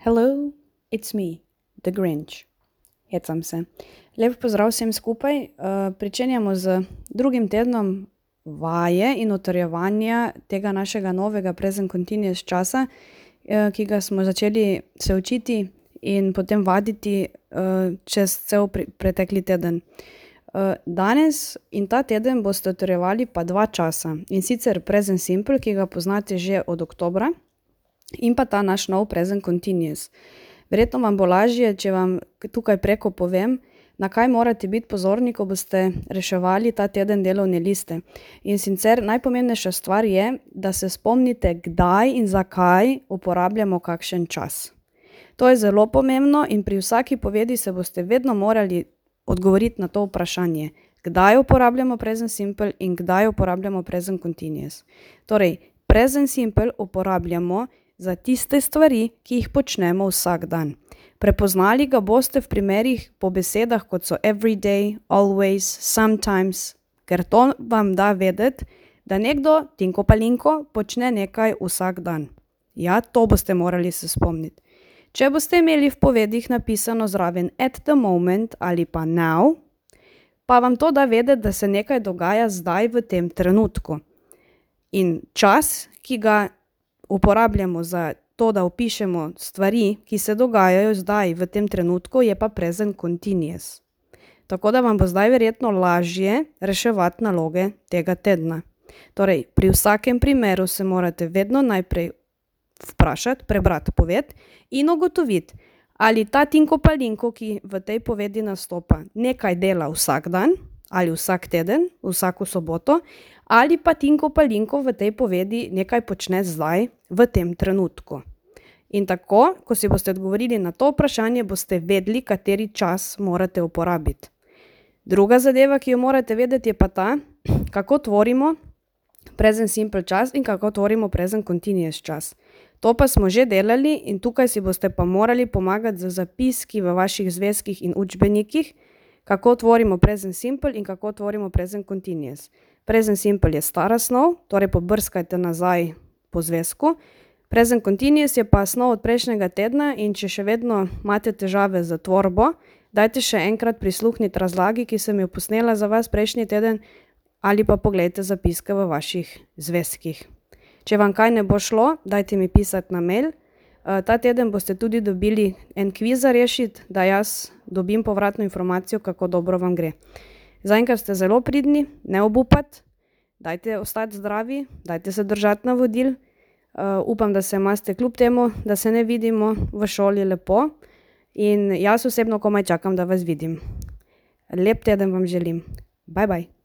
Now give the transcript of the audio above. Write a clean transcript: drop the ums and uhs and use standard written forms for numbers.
Hello, it's me, The Grinch. Hecam se. Lep pozdrav vsem skupaj. Pričenjamo z drugim tednom vaje in utrjevanja tega našega novega present continuous časa, ki ga smo začeli se učiti in potem vaditi čez cel pretekli teden. Danes in ta teden boste utrjevali pa dva časa, in sicer present simple, ki ga poznate že od oktobra, in pa ta naš nov present continuous. Verjetno vam bo lažje, če vam tukaj preko povem, na kaj morate biti pozorni, ko boste reševali ta teden delovne liste. In sicer najpomembnejša stvar je, da se spomnite, kdaj in zakaj uporabljamo kakšen čas. To je zelo pomembno in pri vsaki povedi se boste vedno morali odgovoriti na to vprašanje. Kdaj uporabljamo present simple in kdaj uporabljamo present continuous. Torej, present simple uporabljamo za tiste stvari, ki jih počnemo vsak dan. Prepoznali ga boste v primerih po besedah, kot so every day, always, sometimes, ker to vam da vedeti, da nekdo, Tinko Palinko, počne nekaj vsak dan. Ja, to boste morali se spomniti. Če boste imeli v povedih napisano zraven at the moment ali pa now, pa vam to da vedeti, da se nekaj dogaja zdaj v tem trenutku. In čas, ki ga uporabljamo za to, da opišemo stvari, ki se dogajajo zdaj v tem trenutku, je pa present continuous. Tako da vam bo zdaj verjetno lažje reševati naloge tega tedna. Torej, pri vsakem primeru se morate vedno najprej vprašati, prebrati poved in ugotoviti, ali ta Tinko Palinko, ki v tej povedi nastopa, nekaj dela vsak dan, ali vsak teden, vsako soboto, ali pa Tinko Palinko v tej povedi nekaj počne zdaj, v tem trenutku. In tako, ko si boste odgovorili na to vprašanje, boste vedeli, kateri čas morate uporabiti. Druga zadeva, ki jo morate vedeti, je pa ta, kako tvorimo present simple čas in kako tvorimo present continuous čas. To pa smo že delali in tukaj si boste pa morali pomagati z zapiski v vaših zvezkih in učbenikih, kako tvorimo present simple in kako tvorimo present continuous. Present simple je stara snov, torej pobrskajte nazaj po zvezku. Present continuous je pa snov od prejšnjega tedna in če še vedno imate težave z tvorbo, dajte še enkrat prisluhniti razlagi, ki sem jo posnela za vas prejšnji teden, ali pa poglejte zapiske v vaših zvezkih. Če vam kaj ne bo šlo, dajte mi pisati na mail. Ta teden boste tudi dobili en kviz za rešiti, da jaz dobim povratno informacijo, kako dobro vam gre. Zaenkrat ste zelo pridni, ne obupati, dajte ostati zdravi, dajte se držati navodil. Upam, da se imate kljub temu, da se ne vidimo v šoli lepo in jaz osebno komaj čakam, da vas vidim. Lep teden vam želim. Bye bye.